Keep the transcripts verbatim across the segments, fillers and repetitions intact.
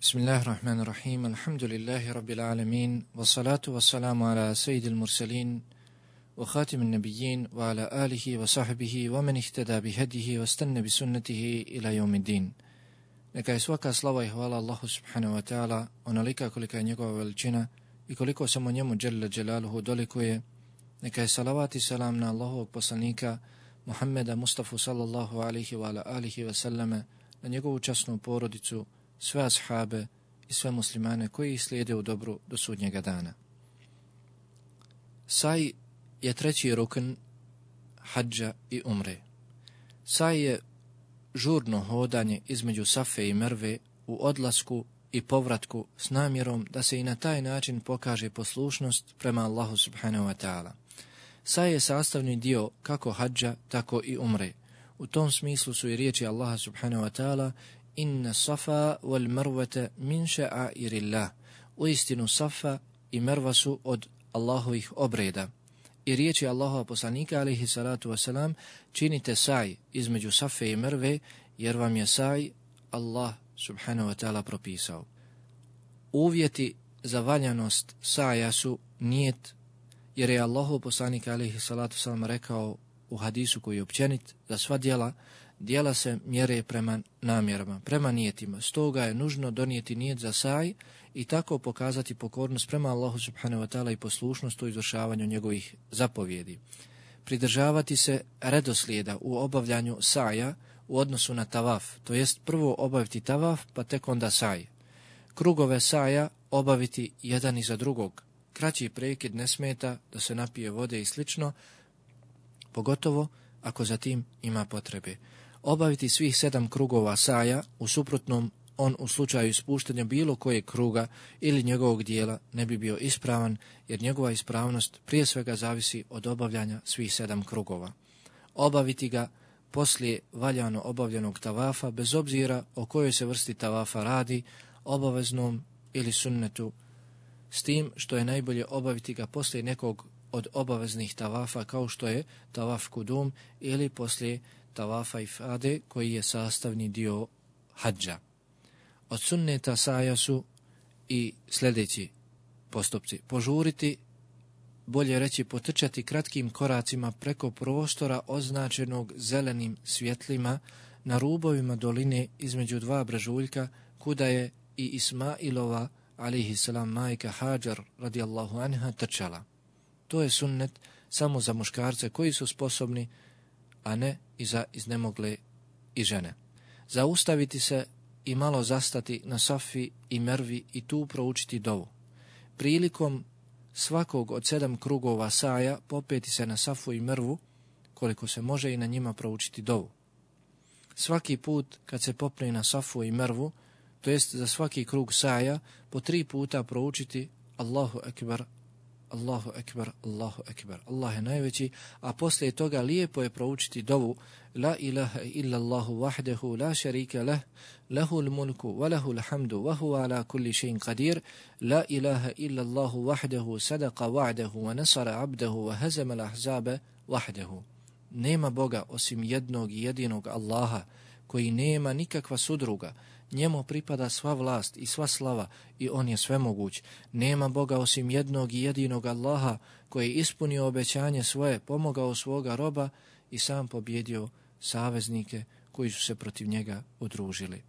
Bismillahirrahmanirrahim. Alhamdulillahi rabbil alamin. Wassalatu wassalamu ala sayyidil mursalin wa khatimin nabiyyin wa ala alihi wa sahbihi wa man ihtada bihadihi wa istanna bi sunnatihi ila yawmiddin. Neka je svaka slava i hvala Allahu subhanahu wa ta'ala onolika kolika je njegova veličina i koliko samo njemu dželle dželaluhu dolikuje. Neka je salavat i salam na Allahovog poslanika Muhammeda Mustafa sallallahu alihi wa ala alihi wa sallame, na njegovu časnu porodicu, sve ashabe i sve muslimane koji ih slijede u dobru do sudnjega dana. Saj je treći rukn hadža i umre. Saj je žurno hodanje između Safe i Merve u odlasku i povratku s namjerom da se i na taj način pokaže poslušnost prema Allahu subhanahu wa ta'ala. Saj je sastavni dio kako hadža, tako i umre. U tom smislu su i riječi Allaha subhanahu wa ta'ala: Inna safa wal marvata min ša'airillah. Uistinu Safa i Merva su od Allahovih obreda. I riječi Allahova poslanika alejhi salatu wasalam: činite saj između Safe i Merve, jer vam je saj Allah subhanahu wa ta'ala propisao. Uvjeti za valjanost saja su nijet, jer je Allahov poslanik alejhi salatu wasalam rekao u hadisu koji je općenit za sva djela, djela se mjere prema namjerama, prema nijetima. Stoga je nužno donijeti nijet za saj i tako pokazati pokornost prema Allahu subhanahu wa ta'ala i poslušnost u izvršavanju njegovih zapovjedi. Pridržavati se redoslijeda u obavljanju saja u odnosu na tavaf, to jest prvo obaviti tavaf pa tek onda saj. Krugove saja obaviti jedan iza drugog. Kraći prekid ne smeta, da se napije vode i slično, pogotovo ako za tim ima potrebe. Obaviti svih sedam krugova saja, u suprotnom on u slučaju ispuštanja bilo kojeg kruga ili njegovog dijela ne bi bio ispravan, jer njegova ispravnost prije svega zavisi od obavljanja svih sedam krugova. Obaviti ga poslije valjano obavljenog tavafa, bez obzira o kojoj se vrsti tavafa radi, obaveznom ili sunnetu, s tim što je najbolje obaviti ga poslije nekog od obaveznih tavafa, kao što je tavaf kudum ili poslije tavafa ifade, koji je sastavni dio hadža. Od sunneta saja su i sljedeći postupci: požuriti, bolje reći potrčati kratkim koracima preko prostora označenog zelenim svjetlima na rubovima doline između dva brežuljka, kuda je i Ismailova alejhi selam majka Hadžar radijallahu anha trčala. To je sunnet samo za muškarce koji su sposobni, a ne i za iznemogle i žene. Zaustaviti se i malo zastati na Safi i Mervi i tu proučiti dovu. Prilikom svakog od sedam krugova saja popeti se na Safu i Mervu, koliko se može, i na njima proučiti dovu. Svaki put kad se popne na Safu i Mervu, to jest za svaki krug saja, po tri puta proučiti Allahu ekber, Allahu ekber, Allahu ekber, Allah je najveći, a poslije toga lijepo je proučiti dovu: La ilaha illa Allahu wahdahu la sharika lah, lahul mulku wa lahul hamdu wa huwa ala kulli shay'in qadir, la ilaha illa Allahu wahdahu sadaqa wa'dahu wa nasara 'abdahu wa hazama al-ahzaba wahdahu. Nema Boga osim jednog i jedinog Allaha, koji nema nikakva sudruga. Njemu pripada sva vlast i sva slava i on je svemoguć. Nema Boga osim jednog i jedinog Allaha, koji je ispunio obećanje svoje, pomogao svoga roba i sam pobjedio saveznike koji su se protiv njega udružili.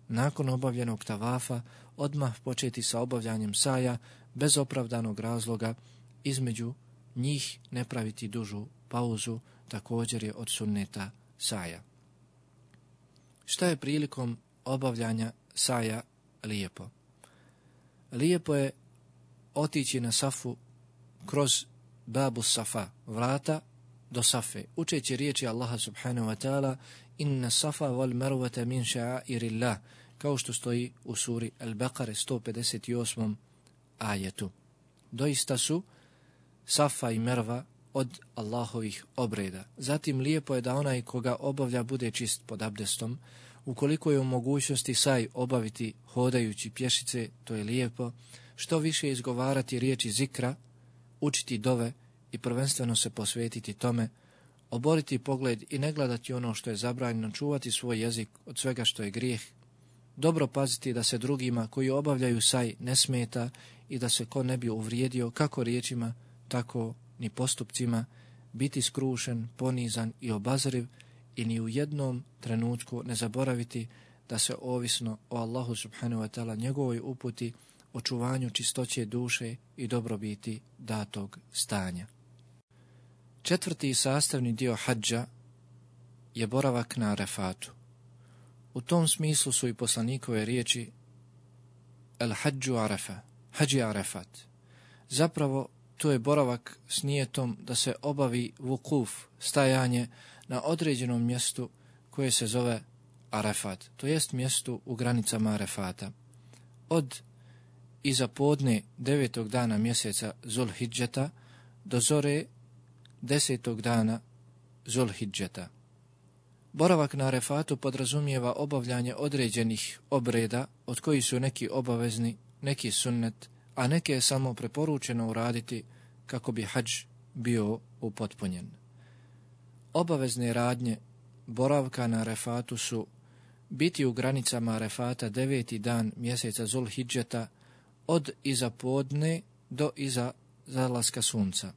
Nakon obavljenog tavafa odmah početi sa obavljanjem saja bez opravdanog razloga, između njih ne praviti dužu pauzu, također je od sunneta saja. Šta je prilikom obavljanja saja lijepo? Lijepo je otići na Safu kroz babu Safa, vrata do Safe, učeći riječi Allaha subhanahu wa ta'ala: Inna safa wal marvata min ša'airillah, kao što stoji u suri Al-Baqara sto pedeset osmom ajetu. Doista su Safa i Merva od Allahovih obreda. Zatim lijepo je da onaj koga obavlja bude čist pod abdestom. Ukoliko je u mogućnosti saj obaviti hodajući pješice, to je lijepo. Što više izgovarati riječi zikra, učiti dove i prvenstveno se posvetiti tome, oboriti pogled i ne gledati ono što je zabranjeno, čuvati svoj jezik od svega što je grijeh, dobro paziti da se drugima koji obavljaju saj ne smeta i da se ko ne bi uvrijedio kako riječima, tako ni postupcima, biti skrušen, ponizan i obazriv i ni u jednom trenutku ne zaboraviti da se ovisno o Allahu subhanahu wa ta'ala njegovoj uputi, očuvanju čistoće duše i dobrobiti datog stanja. Četvrti sastavni dio hadža je boravak na Arefatu. U tom smislu su i poslanikove riječi El hadžu Arefa, hadži Arefat. Zapravo, to je boravak s nijetom da se obavi vukuf, stajanje na određenom mjestu koje se zove Arefat, to jest mjestu u granicama Arefata. Od iza podne devetog dana mjeseca Zulhidžeta do zore desetog dana Zulhidžeta. Boravak na Arefatu podrazumijeva obavljanje određenih obreda, od kojih su neki obavezni, neki sunnet, a neke je samo preporučeno uraditi kako bi hadž bio upotpunjen. Obavezne radnje boravka na Arefatu su biti u granicama Arefata deveti dan mjeseca Zulhidžeta od iza podne do iza zalaska sunca.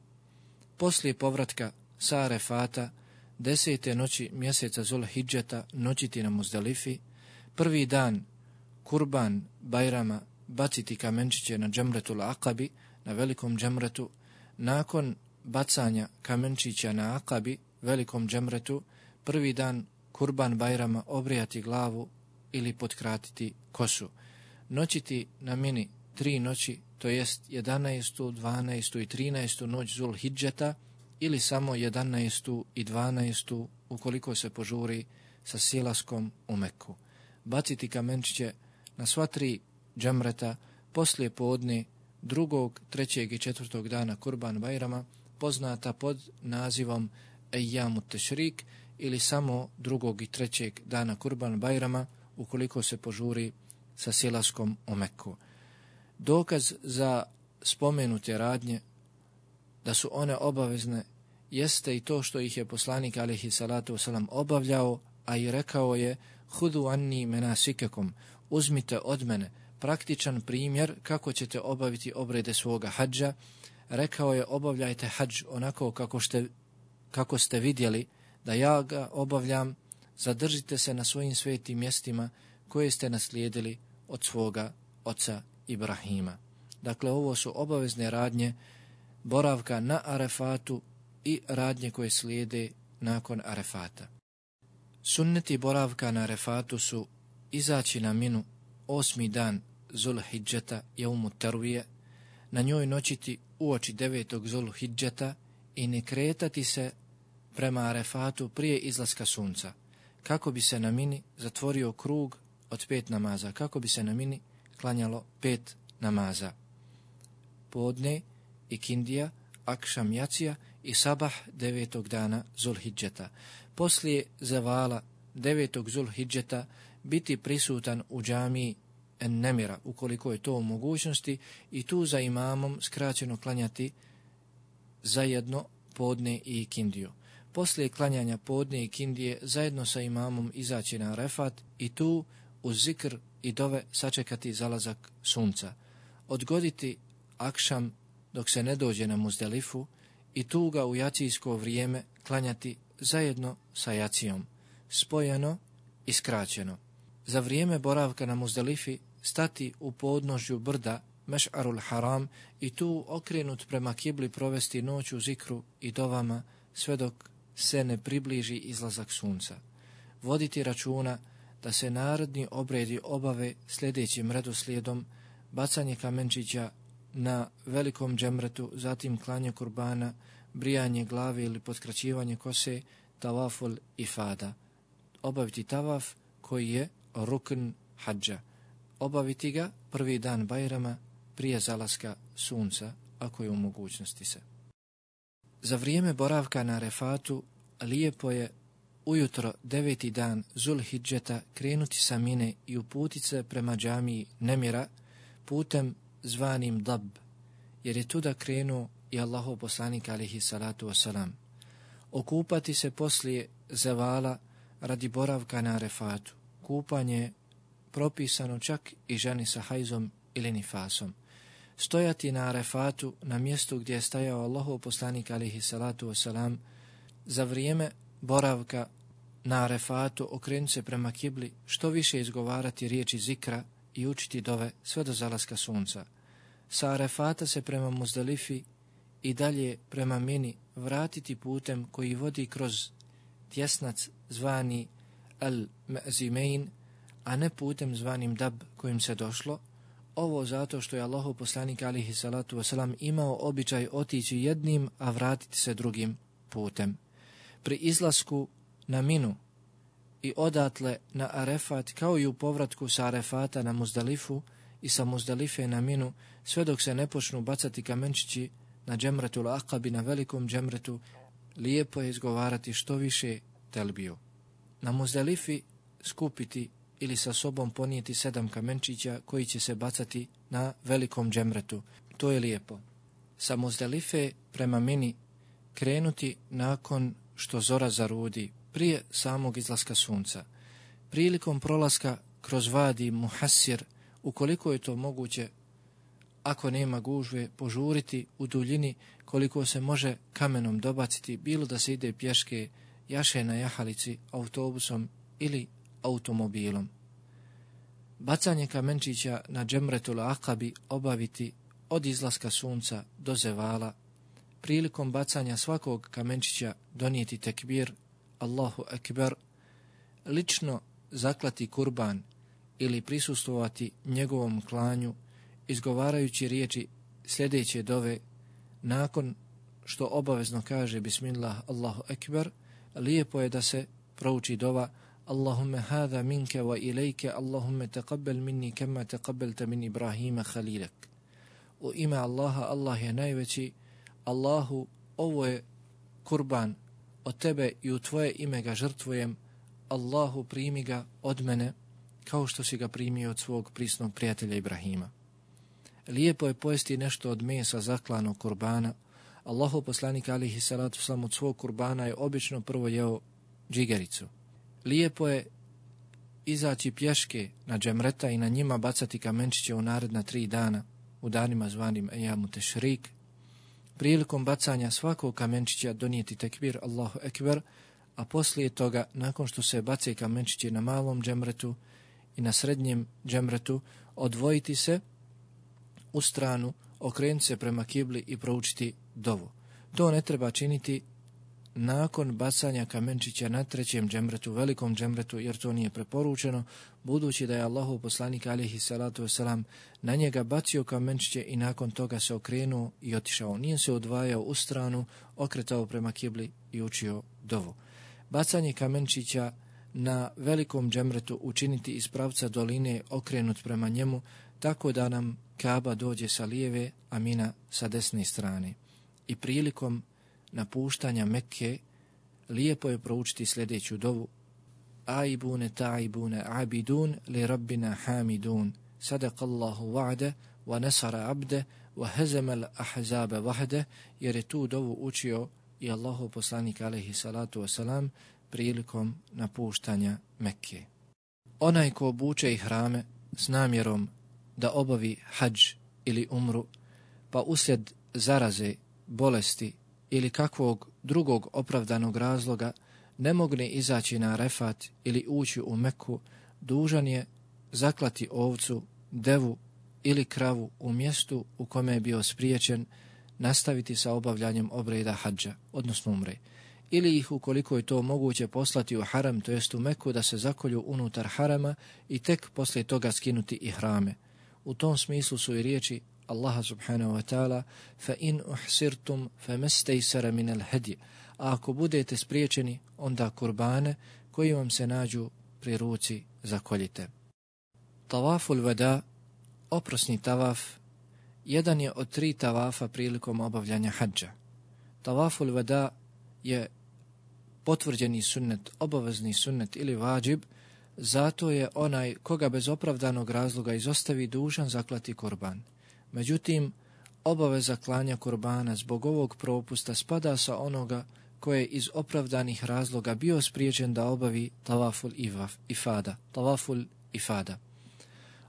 Poslije povratka sa Arefata desete noći mjeseca Zulhidžeta noćiti na Muzdalifi, prvi dan kurban Bajrama baciti kamenčiće na džemretul Akabi, na velikom džemretu, nakon bacanja kamenčića na Akabi, velikom džemretu, prvi dan kurban Bajrama obrijati glavu ili potkratiti kosu. Noćiti na Mini tri noći, to jest jedanaestu, dvanaestu i trinaestu noć Zulhidžeta ili samo jedanaestu i dvanaestu ukoliko se požuri sa silaskom u Meku. Baciti kamenčiće na sva tri džemreta poslije podne drugog, trećeg i četvrtog dana kurban Bajrama, poznata pod nazivom Ejjamu Tešrik, ili samo drugog i trećeg dana kurban Bajrama ukoliko se požuri sa silaskom u Meku. Dokaz za spomenute radnje da su one obavezne jeste i to što ih je poslanik alejhi salatu vesselam obavljao, a i rekao je hudu anni menasikekom, uzmite od mene praktičan primjer kako ćete obaviti obrede svoga hadža. Rekao je obavljajte hadž onako kako ste, kako ste vidjeli da ja ga obavljam, zadržite se na svojim svetim mjestima koje ste naslijedili od svoga oca Ibrahima. Dakle, ovo su obavezne radnje boravka na Arefatu i radnje koje slijede nakon Arefata. Sunneti boravka na Arefatu su izaći na Minu osmi dan Zulhidžeta jeumu tervije, na njoj noćiti uoči devetog Zulhidžeta i ne kretati se prema Arefatu prije izlaska sunca, kako bi se na Mini zatvorio krug od pet namaza, kako bi se na Mini klanjalo pet namaza. Podne, ikindija, akšam jacija i sabah devetog dana Zulhidžeta. Poslije zavala devetog Zulhidžeta biti prisutan u džamiji En-Nemira, ukoliko je to u mogućnosti, i tu za imamom skraćeno klanjati zajedno podne i ikindiju. Poslije klanjanja podne i ikindije zajedno sa imamom izaći na Arefat i tu uz zikr i dove sačekati zalazak sunca. Odgoditi akšam dok se ne dođe na Muzdalifu i tu ga u jacijsko vrijeme klanjati zajedno sa jacijom, spojeno i skraćeno. Za vrijeme boravka na Muzdalifi stati u podnožju brda Meš'arul Haram i tu okrenut prema kibli provesti noć u zikru i dovama sve dok se ne približi izlazak sunca. Voditi računa da se narodni obredi obave sljedećim redoslijedom: bacanje kamenčića na velikom džemretu, zatim klanje kurbana, brijanje glave ili potkraćivanje kose, tavaful ifada. Obaviti tavaf koji je rukn hadža. Obaviti ga prvi dan Bajrama prije zalaska sunca, ako je u mogućnosti se. Za vrijeme boravka na Arefatu lijepo je ujutro deveti dan Zulhidžeta krenuti sa Mine i uputit se prema džamiji Nemira putem zvanim Dab, jer je tuda krenuo i Allahov poslanik alejhi salatu wasalam. Okupati se poslije zevala radi boravka na Arefatu. Kupanje propisano čak i ženi sa hajzom ili nifasom. Stojati na Arefatu, na mjestu gdje je stajao Allahov poslanik alihi salatu wasalam, za vrijeme boravka na Arefatu okrenuti se prema kibli, što više izgovarati riječi zikra i učiti dove sve do zalaska sunca. Sa Arefata se prema Muzdalifi i dalje prema Mini vratiti putem koji vodi kroz tjesnac zvani Al-Me'zimein, a ne putem zvanim Dab kojim se došlo. Ovo zato što je Allahov poslanik alihi salatu wasalam imao običaj otići jednim, a vratiti se drugim putem. Pri izlasku na Minu i odatle na Arefat, kao i u povratku sa Arefata na Muzdalifu i sa Muzdalife na Minu, sve dok se ne počnu bacati kamenčići na džemretul Aqabi, na velikom džemretu, lijepo je izgovarati što više telbiju. Na Muzdalifi skupiti ili sa sobom ponijeti sedam kamenčića koji će se bacati na velikom džemretu. To je lijepo. Sa Muzdalife prema Mini krenuti nakon što zora zarudi, prije samog izlaska sunca. Prilikom prolaska kroz vadi Muhassir, ukoliko je to moguće, ako nema gužve, požuriti u duljini koliko se može kamenom dobaciti, bilo da se ide pješke, jaše na jahalici, autobusom ili automobilom. Bacanje kamenčića na džemretul Aqabi obaviti od izlaska sunca do zevala. Prilikom bacanja svakog kamenčića donijeti tekbir, Allahu ekber, lično zaklati kurban ili prisustvovati njegovom klanju, izgovarajući riječi sljedeće dove, nakon što obavezno kaže Bismillah, Allahu ekber, lijepo je da se prouči dova Allahumme hada minke wa ilajke, Allahumme taqabbal minni kema taqabbalta min Ibrahima khalilak. U ime Allaha, Allah je najveći, Allahu, ovo je kurban od tebe i u tvoje ime ga žrtvujem, Allahu, primi ga od mene kao što si ga primio od svog prisnog prijatelja Ibrahima. Lijepo je pojesti nešto od mesa zaklanog kurbana. Allahov poslanik alihi salatu wasalam od svog kurbana je obično prvo jeo džigericu. Lijepo je izaći pješke na džemreta i na njima bacati kamenčiće u naredna tri dana, u danima zvanim ejamu tešrik. Prilikom bacanja svakog kamenčića donijeti tekbir Allahu ekber, a poslije toga, nakon što se bace kamenčiće na malom džemretu i na srednjem džemretu, odvojiti se u stranu, okrenuti se prema kibli i proučiti dovu. To ne treba činiti nakon bacanja kamenčića na trećem džemretu, velikom džemretu, jer to nije preporučeno, budući da je Allahov poslanik alihi salatu wasalam na njega bacio kamenčiće i nakon toga se okrenuo i otišao. Nije se odvajao u stranu, okretao prema kibli i učio dovu. Bacanje kamenčića na velikom džemretu učiniti iz pravca doline okrenut prema njemu, tako da nam Kaaba dođe sa lijeve, a Mina sa desne strane. I prilikom napuštanja Mekke lijepo je proučiti sljedeću dovu: Aibune taibune abidun li rabbina hamidun, sadakallahu wa'de wa nasara abde wa hezemel ahzabe vahde, jer je tu dovu učio i Allahov poslanik alejhi salatu wasalam prilikom napuštanja Mekke. Onaj ko obuče ihrame s namjerom da obavi hadž ili umru, pa uslijed zaraze, bolesti ili kakvog drugog opravdanog razloga ne mogne izaći na Arefat ili ući u Meku, dužan je zaklati ovcu, devu ili kravu u mjestu u kome je bio spriječen, nastaviti sa obavljanjem obreda hadža, odnosno umre, ili ih ukoliko je to moguće poslati u haram, to jest u Meku, da se zakolju unutar harama i tek poslije toga skinuti ihrame. U tom smislu su i riječi Allaha subhanahu wa ta'ala: fa in uhsirtum fa mastaysara min al-hadi, a ako budete spriječeni, onda kurbane koji vam se nađu pri ruci zakoljite. Tavaful vada, oprosni tavaf, jedan je od tri tavafa prilikom obavljanja hadža. Tavaful vada je potvrđeni sunnet, obavezni sunnet ili vađib, zato je onaj koga bez opravdanog razloga izostavi dužan zaklati kurban. Međutim, obaveza klanja kurbana zbog ovog propusta spada sa onoga koje je iz opravdanih razloga bio spriječen da obavi tavaful ifada. Tavaful ifada.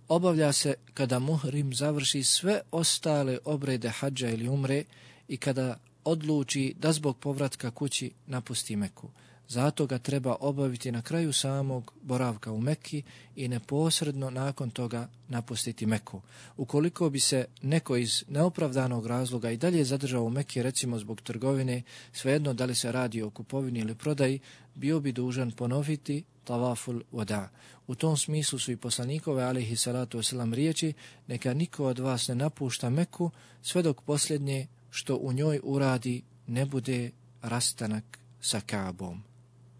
obavlja se kada muhrim završi sve ostale obrede hadža ili umre i kada odluči da zbog povratka kući napusti Meku. Zato ga treba obaviti na kraju samog boravka u Mekki i neposredno nakon toga napustiti Meku. Ukoliko bi se neko iz neopravdanog razloga i dalje zadržao u Mekki, recimo zbog trgovine, svejedno da li se radi o kupovini ili prodaji, bio bi dužan ponoviti tavaful wada. U tom smislu su i poslanikove alejhi salatu vesselam riječi: neka niko od vas ne napušta Meku sve dok posljednje što u njoj uradi ne bude rastanak sa Kaabom,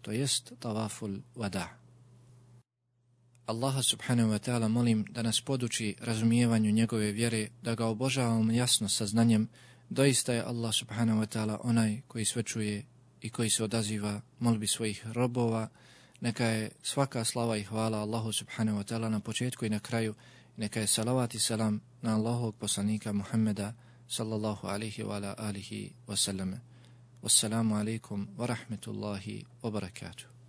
to jest tavaful wada. Allaha subhanahu wa ta'ala molim da nas poduči razumijevanju njegove vjere, da ga obožavamo jasno sa znanjem. Doista je Allah subhanahu wa ta'ala onaj koji sve čuje i koji se odaziva molbi svojih robova. Neka je svaka slava i hvala Allahu subhanahu wa ta'ala na početku i na kraju. Neka je salavat i salam na Allahovog poslanika Muhammeda sallallahu alihi wa ala alihi wa sallam. Wassalamu alaikum wa rahmetullahi wa barakatuh.